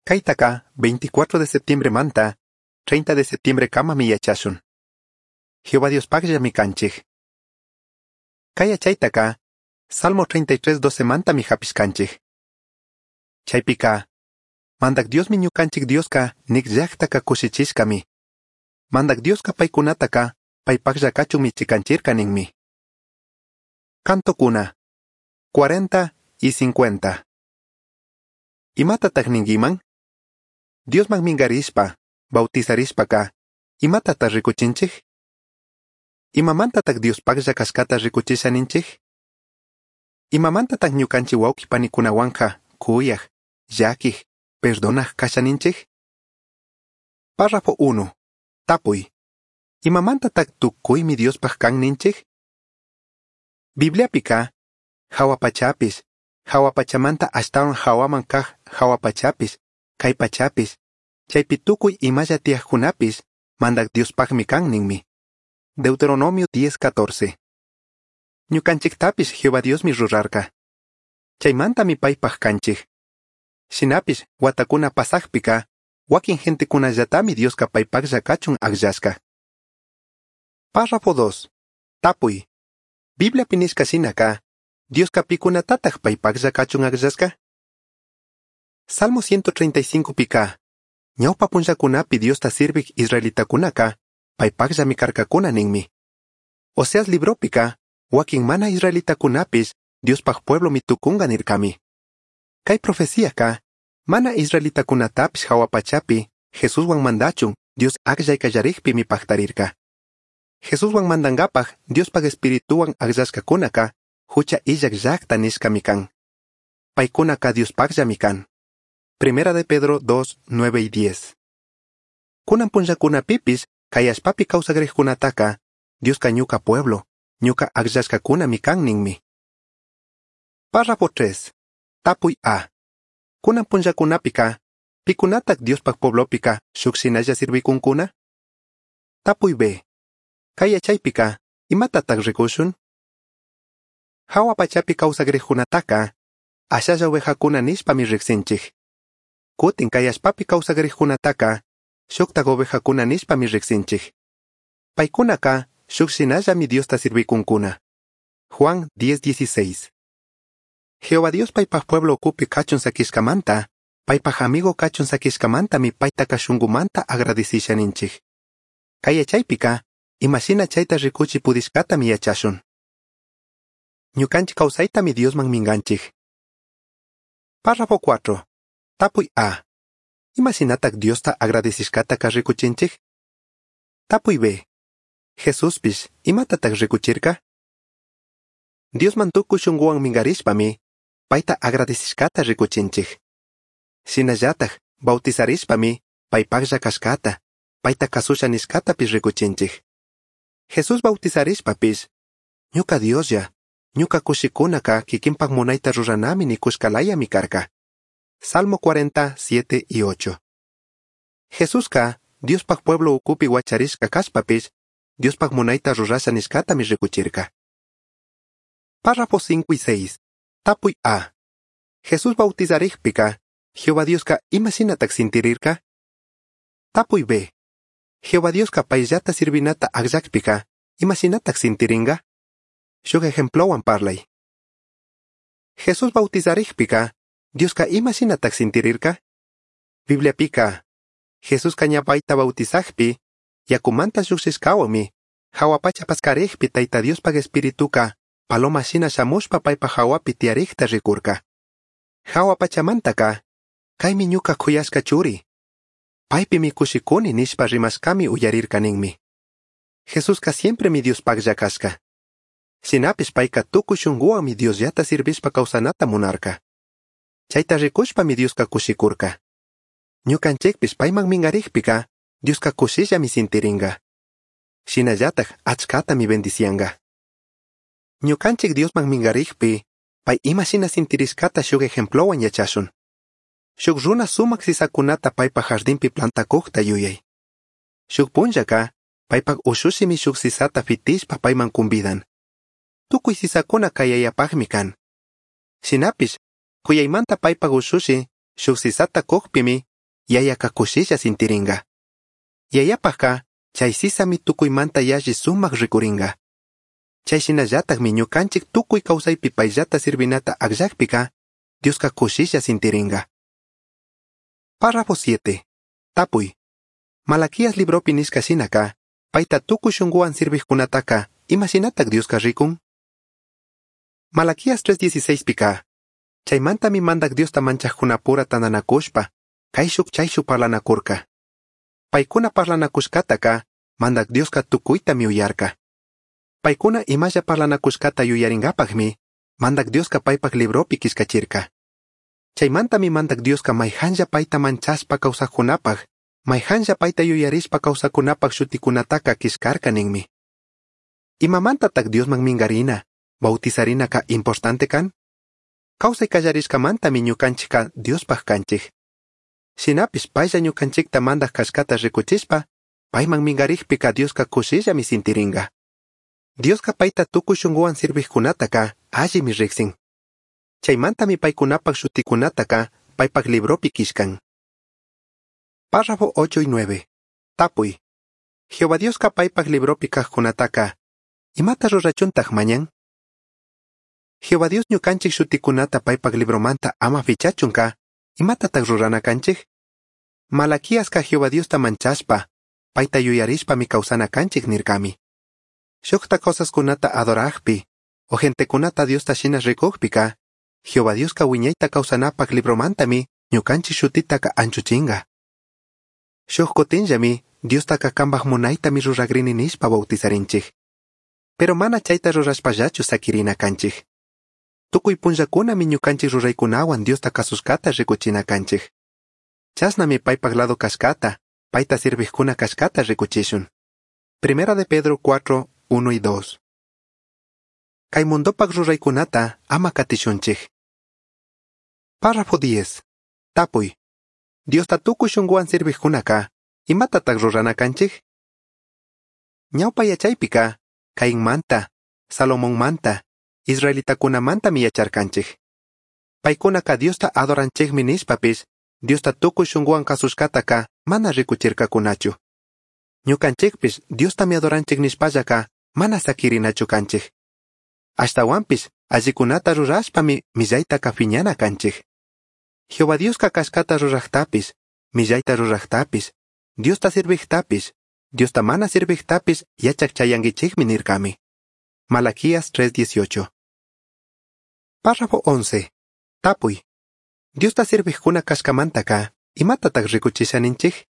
Caitaca 24 de septiembre manta, 30 de septiembre kamami yachashun. Jehová Diospakllami kanchik. Kay yachaytaka, Salmo 33:12 mantami hapishkanchik. Chaypika, Mandak Diosmi ñukanchik Dioska nik llaktaka kushichishkami. Mandak Dioska paykunataka paypaklla kachunmi chikanchirka ninmi. Cantokuna 40 y 50. Imatataq ninkiman? Diosman minkarishpa, bautizarishpaka, imatataq rikuchinchik? Imamantataq Diospaklla kashkata rikuchisha ninchik? Imamantataq ñukanchik wawqi panikunawanka kuyaq, llakiq, perdonaq kasha ninchik? Párrafo 1. Tapuy. Imamantataq tukuymi Diospaq kan ninchik? Bibliapika, hawa pachapis, hawa pachamanta ashtawan hawaman kaq hawa pachapis, kay pachapis, chaypi tukuy imalla tiyaqkunapis, mandak Diospaqmi kan ninmi. Deuteronomio 10:14. Ñukanchiktapis Jehová Diosmi rurarka. Chaymantami paypaq kanchik. Shinapish watakuna pasaqpika, wakin gentekunallatami Dioska paypaqlla kachun akllashka. Párrafo 2. Tapuy. Bibliapi nishka shinaka, Dioska pikunatataq paypaqlla kachun akllashka? Salmo 135 pika, ñawpa punllakunapi Diosta sirvik israelitakunaka, paypaqllami karkakuna ninmi. Oseas libropika, wakin mana israelitakunapis Diospaq pueblomi tukunga nirkami. Kay profeciaka, mana israelitakunatapis hawa pachapi, Jesuswan mandachun, Dios akllay kallarikpimi paktarirka. Jesuswan mandankapaq Diospaq espirituwan akllashkakunaka, hucha illak llaqta nishkami kan. Paykunaka Diospaqllami kan. Primera de Pedro 2, 9 y 10. Kunan punllakunapipis, kay allpapi kawsakriqkunataka, Dioska ñuka pueblo, ñuka akllashkakunami kan ninmi. Párrafo 3. Tapuy A. Kunan punllakunapika, pikunatak Diospaq pueblopika shuk shinalla sirvikunkuna? Tapuy B. Kay yachaypika, imatataq rikushun? Hawa pachapi kawsakriqkunataka, ashalla ovejakuna nishpami riqsinchik. Kutin kay allpapi kawsakriqkunataka, shuktak ovejakuna nishpami riqsinchik. Paykunaka shuk shinallami Diosta sirvikunkuna. Juan 10:16. Jehová Dios paypaq pueblo ukupi kachun sakishkamanta, paypaq amigo kachun sakishkamantami paytaka shunkumanta agradecisha ninchik. Kay yachaypika, imashina chayta rikuchi pudishkatami yachashun. Ñukanchik kawsaytami Diosman minkanchik. Párrafo 4. Tapuy A. Imashinatak Diosta agradecishkataka rikuchinchik? Tapuy B. Jesuspish, imatatak rikuchirka? Diosman tukuy shunkuwan minkarishpami, payta agradecishkata rikuchinchik. Shinallatak, bautizarishpami, paypaqlla kashkata, payta kasusha nishkatapish rikuchinchik. Jesús bautizarishpapish, ñuka Dioslla, ñuka kushikunaka kikinpak munayta ruranami nikushkalayami karka. Salmo 40, 7 y 8. Jesuska, Diospaq pueblo ukupi wacharishka kashpapish, Diospaq munayta rurasha nishkatami rikuchirka. Párrafo 5 y 6. Tapuy A. Jesús bautizarikpika, Jehová Dioska imashinatak sintirirka? Tapuy B. Jehová Dioska payllata sirvinata akllakpika, imashinatak sintiringa? Shuk ejemplowan parlay. Jesús bautizarikpika, Dioska imashinatak sintirirka? Bibliapika, Jesuska ña payta bautizakpi, yakumanta lluqshishkawami, hawa pacha paskarikpi Tayta Diospaq espirituka, paloma shina shamushpa paypaq hawapi tiyarikta rikurka. Hawa pachamantaka, kaymi ñuka kuyashka churi. Paypimi kushikuni nishpa rimashkami uyarirka ninmi. Jesuska siempremi Diospaqlla kashka. Shinapish payka tukuy shunkuwanmi Diosllata sirvishpa kawsanata munarka. Chayta rikushpami Dioska kushikurka. Ñukanchikpish payman minkarikpika, Dioska kushillami sintiringa. Shinallatak achkatami bendicianga. Ñukanchik Diosman minkarikpi, pay imashina sintirishkata shuk ejemplowan yachashun. Shuk runa sumak sisakunata paypaq jardinpi plantakukta yuyay. Shuk punllaka, paypaq ushushimi shuk sisata fitishpa payman kumbidan. Tukuy sisakuna kay yayapaqmi kan. Shinapish, kuyaymanta paypaq ushushi, shuk sisata kukpimi, yayaka kushilla sintiringa. Yayapajka chay sisami tukuymanta yalli sumak rikuringa. Chay shinallatakmi ñukanchik tukuy kawsaypi payllata sirvinata akllakpika Dioska kushilla sintiringa. Párrafo 7. Tapuy. Malaquías libropi nishka shinaka, payta tukuy shunkuwan sirvijkunataka, imashinatak Dioska rikun? Malaquías 3:16 pika, chaymantami mandak Diosta manchajkunapura tantanakushpa, kayshuk chayshuk parlanakurka. Paykuna parlanakushkataka, mandak Dioska tukuytami uyarka. Paykuna imalla parlanakushkata yuyarinkapakmi, mandak Dioska paypak libropi killkachirka. Chaymantami mandak Dioska mayhanlla payta manchashpa kawsajkunapaj, mayhanlla payta yuyarishpa kawsakunapaj shutikunataka killkarka ninmi. Imamantatak Diosman minkarina, bautizarinaka importante kan? Kawsay kallarishkamantami ñukanchikka Diospaj kanchik. Shinapish paylla ñukanchikta mandak kashkata rikuchishpa, payman minkarikpika Dioska kushillami sintiringa. Dioska payta tukuy shunkuwan sirvijkunataka allimi riksin. Chaymantami paykunapak shutikunataka paypak libropi killkan. Párrafo 8 y 9. Tapuy. Jehová Dioska paypak libropi kajkunataka, imata rurachuntaj mañan? Jehová Dios ñukanchik shutikunata paypak libromanta ama fichachunka, imatatak rurana kanchik? Malaquiaska Jehová Diosta manchashpa, payta yuyarishpami kawsana kanchik nirkami. Shukta cosaskunata adorajpi, o gentekunata Diosta shina rikujpika, Jehová Dioska wiñayta kawsanapak libromantami ñukanchik shutitaka anchuchinga. Shuk kutinllami Diostaka kanpak munaytami ruragrini nishpa bautizarinchik. Pero mana chayta rurashpallachu sakirina kanchik. Tukuy punllakunami ñukanchik ruraykunawan Diosta kasushkata rikuchina kanchik. Chashnami paypak lado kashkata, payta sirvijkuna kashkata rikuchishun. Primera de Pedro 4, 1 y 2. Kay mundopak ruraykunata ama katishunchik. Párrafo 10. Tapuy. Diosta tukuy shunkuwan sirvijkunaka, imatatak rurana kanchik? Ñawpa yachaypika, Cainmanta, Salomonmanta, israelitakunamantami yacharkanchik. Paykunaka Diosta adoranchikmi nishpapis, Diosta tukuy shunkuwan kasushkataka mana rikuchirkakunachu. Ñukanchikpish Diostami adoranchik nishpallaka mana sakirinachu kanchik. Ashtawanpish allikunata rurashpami millaytaka fiñana kanchik. Jehová Dioska kashkata rurajtapis, millayta rurajtapis, Diosta sirvijtapis, Diosta mana sirvijtapis yachak chayankichikmi nirkami. Malaquías 3:18. Párrafo 11. Tapuy. Diosta sirvijkuna kashkamantaka, imatatak rikuchisha ninchik?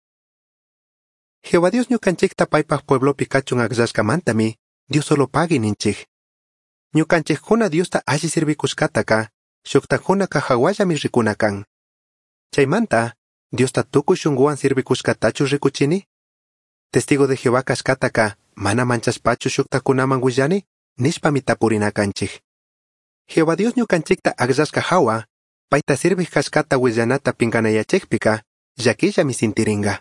Jehová Dios ñukanchikta paypak pueblopi kachun akllashkamantami, Dios solo pagui ninchik. Ñukanchikkuna Diosta alli sirvikushkataka, shuktakunaka hawallami rikuna kan. Chaymanta, Diosta tukuy shunkuwan sirvikushkatachu rikuchini? Testigo de Jehová kashkataka, mana manchashpachu shuktakunaman willani, nishpami tapurina kanchik. Jehová Dios ñukanchikta akllashka hawa, payta sirvij kashkata willanata pinkanayachikpika, llakillami sintiringa.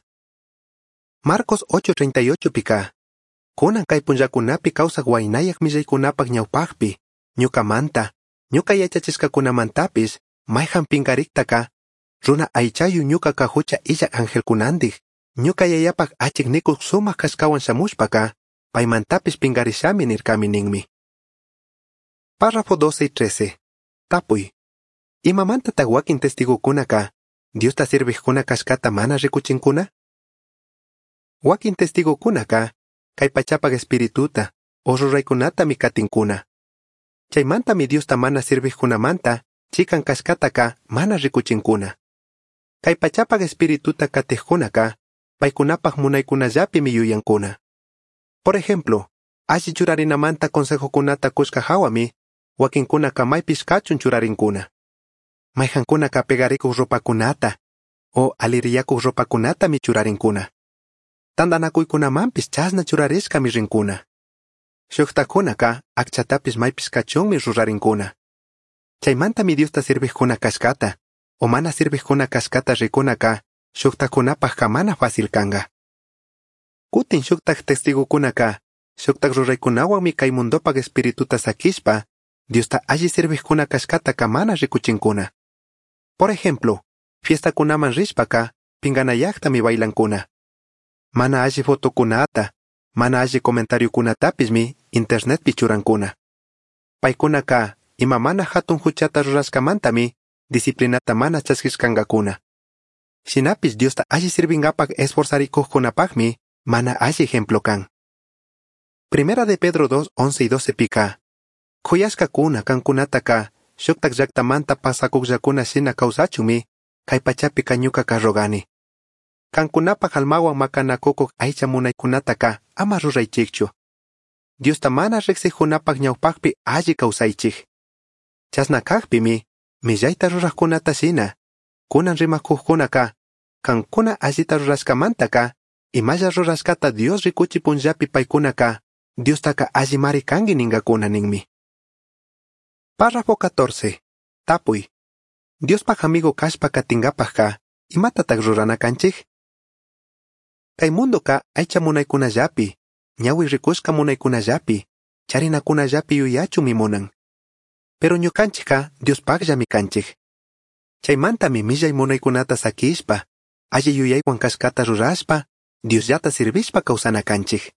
Marcos 8:38 pika, kunan kay punllakunapi kawsak waynayak millaykunapak ñawpakpi, ñukamanta, ñuka yachachishkakunamantapis, mayhan pinkariktaka, runa aychayu ñukaka hucha illak angelkunandik, ñuka yayapak achik nikuk sumak kashkawan shamushpaka, paymantapis pinkarishami nirkami ninmi. Párrafo 12 y 13. Tapuy. Imamantatak wakin testigokunaka, Diosta sirvijkuna kashkata mana rikuchinkuna? Wakin testigokunaka, kay pachapak espirituta, o ruraykunatami katinkuna. Chaymantami Diosta mana sirvijkunamanta, chikan kashkataka mana rikuchinkuna. Kay pachapak espirituta katijkunaka, paykunapak munaykunallapimi yuyankuna. Por ejemplo, alli churarinamanta consejokunata kushka hawami, wakinkunaka maypish kachun churarinkuna. Mayhankunaka pegarikuq ropakunata, o aliriyakuq ropakunatami churarinkuna. Tantanakuykunamanpis chashna churarishkami rinkuna. Shuktakunaka akchatapis maypis kachunmi rurarinkuna. Chaymantami Diosta sirvijkuna kashkata, o mana sirvijkuna kashkata rikunaka, shuktakunapajka mana fácil kanga. Kutin shuktak testigokunaka, shuktak ruraykunawanmi kay mundopak espirituta sakishpa, Diosta alli sirvijkuna kashkataka mana rikuchinkuna. Por ejemplo, fiestakunaman rishpaka, pinganayajtami bailancuna. Mana alli fotocunata, mana alli comentariocunatapishmi internetpi churancuna. Paicunaca ima mana jatun juchata rurashcamantami disciplinata mana chasquishcangacuna. Shinapish Diosta alli sirvingapak esforzaricujcunapajmi mana alli ejemplo kan. Primera de Pedro 2, 11 y 12 pica. Kuyashkakuna kankunataka shuktak llaktamanta pasakukllakuna shina kawsachunmi kay pachapika ñukaka rogani. Kankunapaj almawan makanakukuq aycha munaykunataka ama ruraychikchu. Diosta mana riqsiqkunapaq ñawpaqpi alli kawsaychik. Chasna kaqpimi millayta ruraqkunata shina kunan rimakuqkunaka kankuna allita rurashkamantaka imalla rurashkata Dios rikuchi punllapi paykunaka Diostaka allimari kanki ninkakuna ninmi. Párrafo 14. Tapuy. Diospaj amigo kashpa katingapajka imatataq rurana kanchik? Kay mundoka aycha munaykunallapi, ñawi rikushka munaykunallapi, charinakunallapi yuyachunmi munan. Pero ñukanchikka Diospajllami kanchik. Chaymantami millay munaykunata sakishpa, alli yuyaywan kashkata rurashpa, Diosllata sirvishpa kawsana kanchik.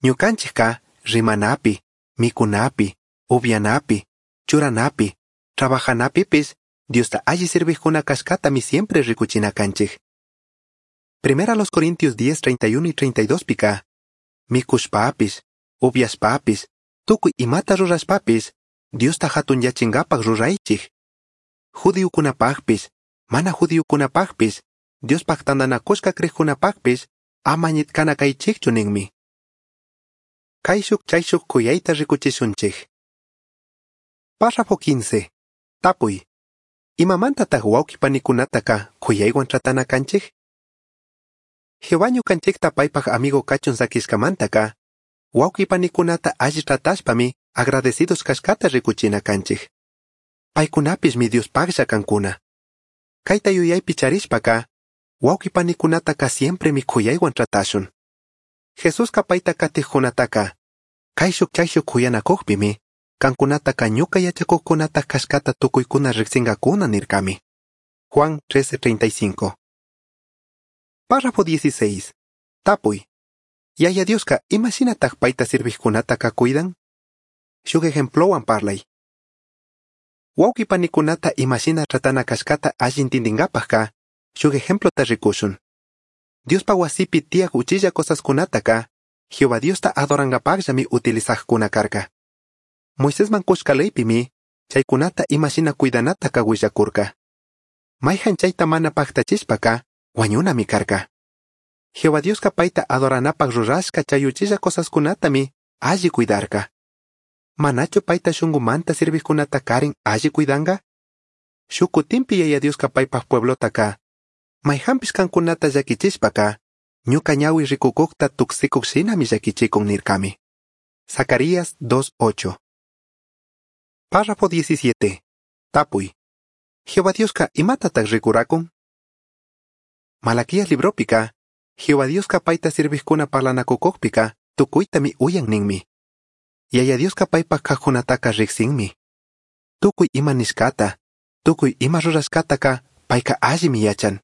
Ñukanchikka rimanapi, mikunapi, upyanapi, churanapi, trabajanapipis Diosta alli sirvijkuna kashkatami siempre rikuchina kanchik. Primera los Corintios 10, 31 y 32 pika. Mikushpapis, upyashpapis, tukuy imata rurashpapis, Diosta hatunyachinkapak ruraychik. Judiokunapaqpis, mana judiokunapaqpis, Diospaq tantanakushka kriqkunapaqpis, ama ñitkana kaychikchu ninmi. Kayshuk chayshuk kuyayta rikuchishunchik. Párrafo 15. Tapuy. Imamantataq wawqi panikunataka kuyaywan tratana kanchik? Jehová ñukanchikta paypaq amigo kachun sakishkamantaka, wawqi panikunata alli tratashpami agradecidos kashkata rikuchina kanchik. Paykunapismi Diospaqlla kankuna. Kayta yuyaypi charishpaka, wawqi panikunataka siempremi kuyaywan tratashun. Jesuska payta katiqkunataka, kayshuk chayshuk kuyanakuqpimi, kankunataka ñuka yachakuqkunata kashkata tukuykuna riqsinkakuna nirkami. Juan 13:35. Párrafo 16. Tapuy. Yaya Dioska imashinataq payta sirviqkunataka cuidan? Shuk ejemplowan parlay. Wawqi panikunata imashina tratana kashkata alli intindinkapaqka, shuk ejemplota rikushun. Diospa wasipi tiyaq uchilla cosaskunataka, Jehová Diosta adorankapaqllami utilizaqkuna karka. Moisesman kushka leypimi, chaykunata imashina cuidanataka willakurka. Mayhan chayta mana paqtachishpaka, wañunami karka. Jehová Dioska payta adoranapaq rurashka chay uchilla cosaskunatami alli cuidarka. Manachu payta shunqumanta sirviqkunata karin alli cuidanka? Shuk kutinpi Yaya Dioska paypaq pueblotaka, mayhanpish kankunata llakichishpaka, ñuka ñawi rikukuqta tuksikuq shinami llakichikun nirkami. Zacarías 2.8. Párrafo 17. Tapuy. Jehová Dioska imatataq rikurakun? Malaquías libropika, Jehová Dioska payta sirviqkuna parlanakukuqpika tukuytami uyan ninmi. Yaya Dioska paypaq kaqkunataka riqsinmi. Tukuy ima nishkata, tukuy ima rurashkataka payka allimi yachan.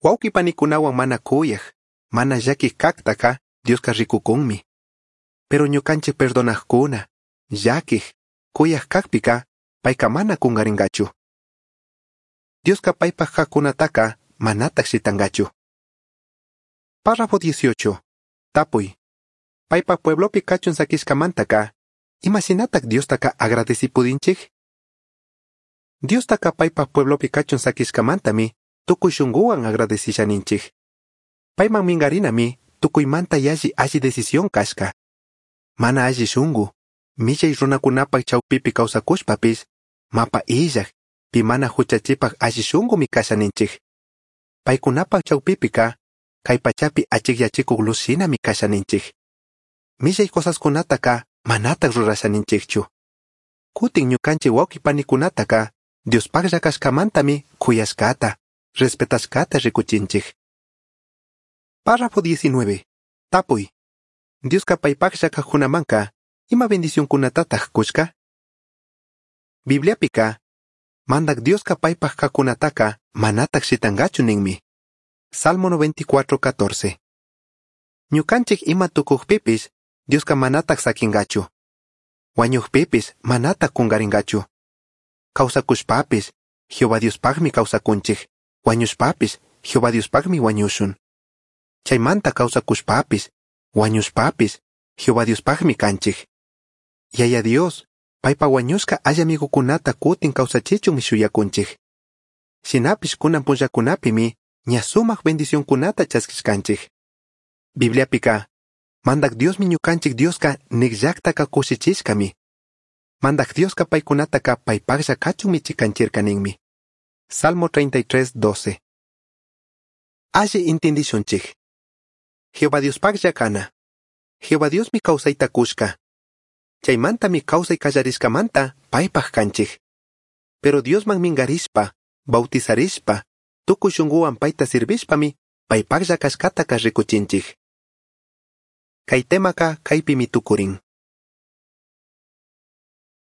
Wawqi panikunawan mana kuyaq, mana llakiq kaqtaka Dioska rikukunmi. Pero ñukanchik perdonaqkuna, llakiq, kuyaq kaqpika payka mana kunqarinkachu. Dioska paypaq kaqkunataka manataq shitankachu. Párrafo 18. Tapuy. Paypaq pueblopi kachun sakishkamantaka, imashinataq Diostaka agradecipudinchik? Diostaka paypaq pueblopi kachun sakishkamantami tukuy shunquwan agradechishaninchik. Payman minkarinami tukuymanta yalli alli decisión kashka. Mana alli shunqu, millay runakunapaq chawpipi kawsakushpapis, mapa illaq, pi mana huchachipaq alli shunqumi kashaninchik. Paykunapaq chawpipika, kay pachapi achikyachikuq luz shinami kashaninchik. Millay cosaskunataka manataq rurashaninchikchu. Kutin ñukanchik wawqi panikunataka Diospaqlla kashkamantami kuyashkata, respetashkata rikuchinchik. Párrafo 19. Tapuy. Dioska paypaqlla kaqkunamanka, ima bendicionkunatataq kushka? Bibliapika, mandak Dioska paypaq kaqkunataka manataq shitankachu ninmi. Salmo 94, 14. Ñukanchik ima tukukpipish, Dioska manatak sakingachu. Wañukpipish manatak kungaringachu. Kawsakushpapish, Jehová Diospakmi kawsakunchik. Wañushpapish, Jehová Diospakmi wañushun. Chaymanta kawsakushpapish, wañushpapish, Jehová Diospakmi kanchik. Yaya Dios, paypa wañushka alli amigukunata kutin kawsachichunmi shuyakunchik. Shinapish kunan punllakunapimi ña sumak bendicionkunata chaskishkanchik. Bibliapika, Mandak Diosmi ñukanchik Dioska nikllaktaka kushichishkami. Mandak Dioska paykunataka paypaklla kachunmi chikanchirka ninmi. Salmo 33, 12. Alli intindishunchik. Jehová Diospaklla kana. Jehová Diosmi kawsayta kushka. Chaymantami kawsay kallarishkamanta paypak kanchik. Pero Diosman mingarishpa, bautizarishpa, tukuy shunkuwan payta sirvishpami paypaklla kashkataka rikuchinchik. Kay temaka kaypimi tukurin.